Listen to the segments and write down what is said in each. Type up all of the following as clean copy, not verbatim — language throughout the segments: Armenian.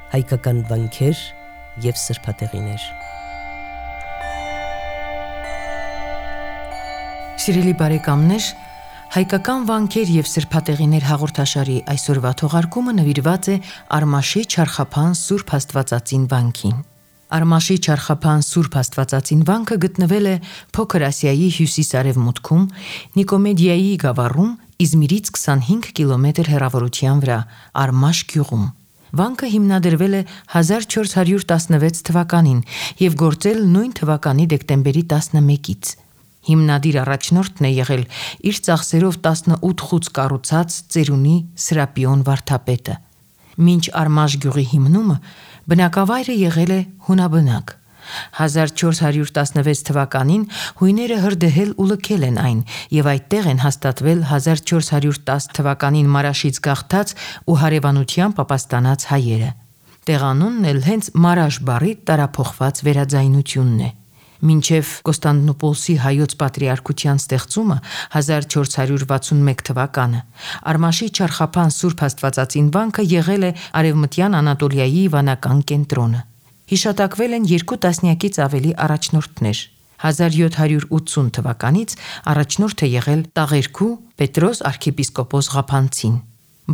հայկական վանքեր և սրբատեղիներ։ Սիրելի բարեկամներ, հայկական վանքեր և սրբատեղիներ հաղորդաշարի այսօրվա թողարկումը նվիրված է Արմաշի Չարխափան Սուրբ Աստվածածին վանքին։ Արմաշի Չարխափան Սուրբ Աստվածածին վանքը գտնվել է Փոքր Ասիայի հյուսիս-արևմուտքում, Նիկոմեդիայի գավառում, Իզմիրից 25 կիլոմետր հեռավորության վրա, Արմաշ գյուղում։ Վանքը հիմնադրվել է 1416 թվականին և գործել նույն թվականի դեկտեմբերի 11-ից։ Հիմնադիր առաջնորդն է եղել իր ծախսերով 18 խուծ կառուցած ծերունի Սրապիոն վարդապետը։ Մինչ Արմաշ գյուղի հիմնումը բնակավայրը եղել է հունաբնակ։ 1416 թվականին հույները հրդեհել ու լքել են այն և այդտեղ են հաստատվել 1410 թվականին Մարաշից գաղթած ու հարևանությամբ ապաստանած հայերը։ Տեղանունն էլ հենց Մարաշ բառի տարափոխված վերաձայնությունն է։ Մինչև Կոստանդնուպոլսի հայոց պատրիարքության ստեղծումը 1461 թվականը Արմաշի Չարխափան Սուրբ Աստվածածին վանքը եղել է Արևմտյան Անատոլիայի վանական կենտրոնը։ Հիշատակվել են 2 տասնյակից ավելի առաջնորդներ։ 1780 թվականից առաջնորդ է եղել Տաղերքու Պետրոս arczepiskopos Ղափանցին։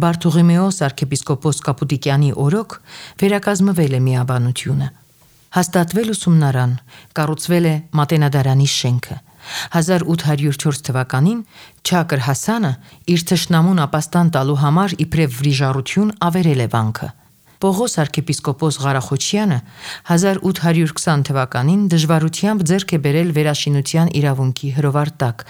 Բարթողիմեոս arczepiskopos Կապուտիկյանի օրոք վերակազմվել է միաբանությունը։ Հաստատվել ուսումնարան, կառուցվել է Մատենադարանի շենքը։ 1804 թվականին Չակր Հասանը իր թշնամուն ապաստան տալու համար իբրև վրիժառություն ավերել է վանքը։ Պողոս arczepiskopos Ղարախոչյանը 1820 թվականին դժվարությամբ ձեռք է բերել վերաշինության իրավունքի հրովարտակ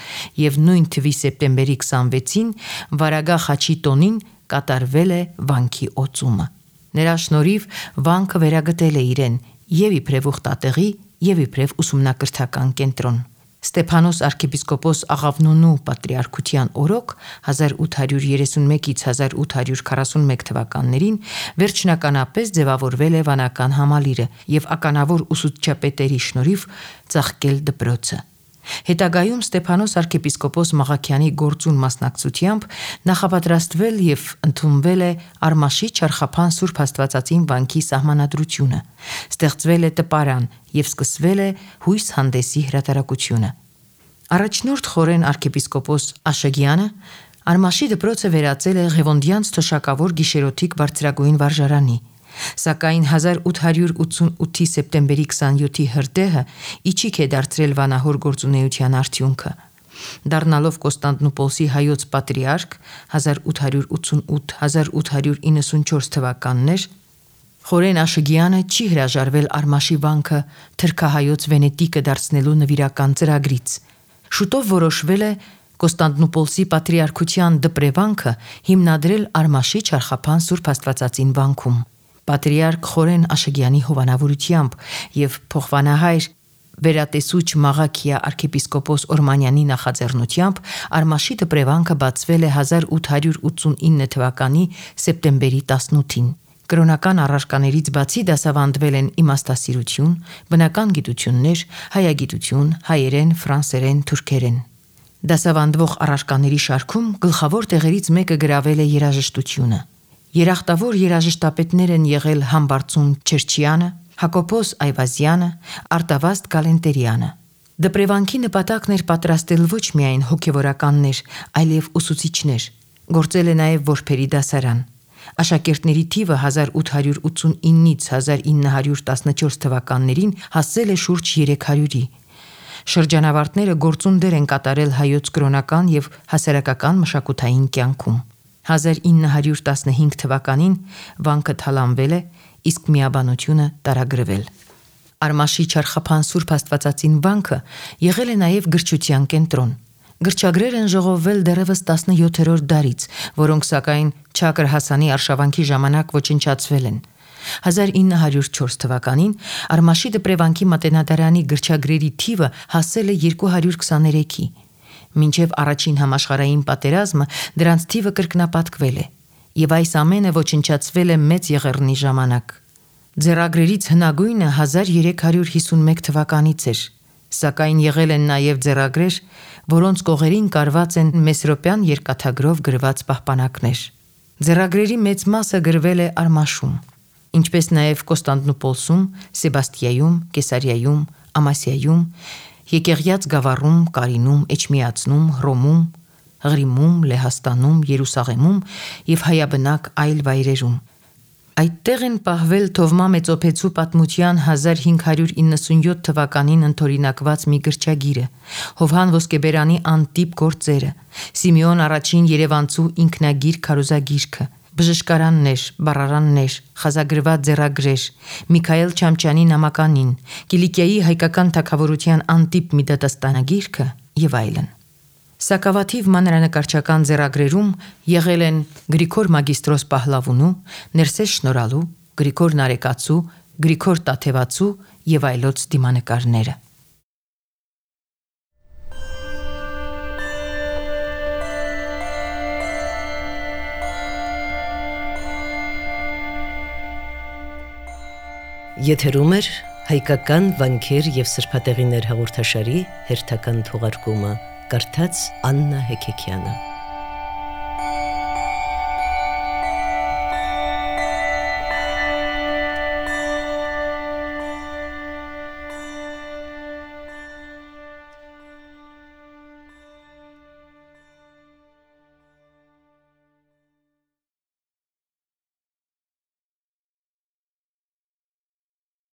և նույն թվի սեպտեմբերի 26-ին Վարագա խաչի տոնին կատարվել է վանքի օծումը։ Նրա շնորհիվ վանքը վերագտել է իրեն և իբրև ուխտատեղի և իբրև ուսումնակրթական կենտրոն։ Ստեփանոս arczepiskopos Աղավնոնու պատրիարքության օրոք 1831-ից 1841 թվականներին վերջնականապես ձևավորվել է վանական համալիրը և ականավոր ուսուցչապետերի շնորհիվ ծաղկել դպրոցը։ Հետագայում Ստեփանոս arczepiskopos Մաղաքյանի գործուն մասնակցությամբ նախապատրաստվել և ընդունվել է Արմաշի Չարխափան Սուրբ Աստվածածին վանքի սահմանադրությունը, ստեղծվել է տպարան և սկսվել է հույս հանդեսի հրատարակությունը։ Առաջնորդ խորեն arczepiskopos Աշագյանը Արմաշի դպրոցը վերածել է Ղևոնդյանց թոշակավոր գիշերօթիկ բարձրագույն վարժարանի, սակայն 1888-ի սեպտեմբերի 27-ի հրդեհը իչիք է դարձրել վանահոր գործունեության արդյունքը։ Դառնալով Կոստանդնուպոլսի հայոց պատրիարք 1888-1894 թվականներ, խորեն Աշգյանը չի հրաժարվել Արմաշի վանքը թրքահայոց Վենետիկը դարձնելու նվիրական ծրագրից։ Շուտով որոշվել է Կոստանդնուպոլսի պատրիարքության դպրեվանքը հիմնադրել Արմաշի Չարխափան Սուրբ Աստվածածին վանքում։ Պատրիարք խորեն Աշգյանի հովանավորությամբ և փոխվանահայր վերատեսուչ Մաղաքիա arczepiskopos Օրմանյանի նախաձեռնությամբ Արմաշի դպրեվանքը բացվել է 1889 թվականի սեպտեմբերի 18-ին։ Կրոնական առարկաներից բացի դասավանդվել են իմաստասիրություն, բնական գիտություններ, հայագիտություն, հայերեն, ֆրանսերեն, թուրքերեն։ Դասավանդվող առարկաների շարքում գլխավոր տեղերից մեկը գրավել է երաժշտությունը։ Երախտավոր երաժշտապետներ են եղել Համբարձում Չերչյանը, Հակոբոս Այվազյանը, Արտավազդ Գալենտերյանը։ Դպրեվանքի նպատակն էր պատրաստել ոչ միայն հոգևորականներ, այլև ուսուցիչներ։ Գործել է նաև որբերի դասարան։ Աշակերտների թիվը 1889-ից 1914 թվականներին հասել է շուրջ 300-ի։ Շրջանավարտները գործուն դեր են կատարել հայոց կրոնական և հասարակական մշակութային կյանքում։ 1915 թվականին վանքը թալանվել է, իսկ միաբանությունը տարագրվել։ Արմաշի Չարխափան Սուրբ Աստվածածին վանքը եղել է նաև գրչության կենտրոն։ Գրչագրեր են ժողովվել դեռևս 17-րդ դարից, որոնք սակայն Չակր Հասանի արշավանքի ժամանակ ոչնչացվել են։ 1904 թվականին Արմաշի դպրեվանքի Մատենադարանի գրչագրերի թիվը հասել է 223-ի։ Մինչև առաջին համաշխարհային պատերազմը դրանց թիվը կրկնապատկվել է, և այս ամենը ոչնչացվել է Մեծ Եղեռնի ժամանակ։ Ձեռագրերից հնագույնը 1351 թվականից էր, սակայն եղել են նաև ձեռագրեր, որոնց կողերին կարված են մեսրոպյան երկաթագրով գրված պահպանակներ։ Ձեռագրերի մեծ մասը գրվել է Արմաշում։ ինչպես նաև Կոստանդնուպոլսում, Սեբաստիայում, Կեսարիայում, Ամասիայում, Եկեղյաց գավառում, Կարինում, Էջմիածնում, Հռոմում, Ղրիմում, Լեհաստանում, Երուսաղեմում եւ հայաբնակ այլ վայրերում։ Այդտեղ են պահվել Թովմա Մեծոփեցու պատմության 1597 թվականին ընդօրինակված մի գրչագիրը, Հովհան Ոսկեբերանի անտիպ գործերը, Սիմեոն առաջին Երևանցու ինքնագիր քարոզագիրքը, բժշկարաններ, բառարաններ, խազագրված ձեռագրեր, Միքայել Չամչյանի նամականին, Կիլիկիայի հայկական թագավորության անտիպ մի դատաստանագիրքը եւ այլն։ Սակավաթիվ մանրանկարչական ձեռագրերում եղել են Գրիգոր Մագիստրոս Պահլավունու, Ներսես Շնորհալու, Գրիգոր Նարեկացու, Գրիգոր Տաթևացու եւ այլոց դիմանկարները։ Եթերում է հայկական վանքեր եւ սրբատեղիներ հաղորդաշարի հերթական թողարկումը, կարդաց Աննա Հեքեքյանը։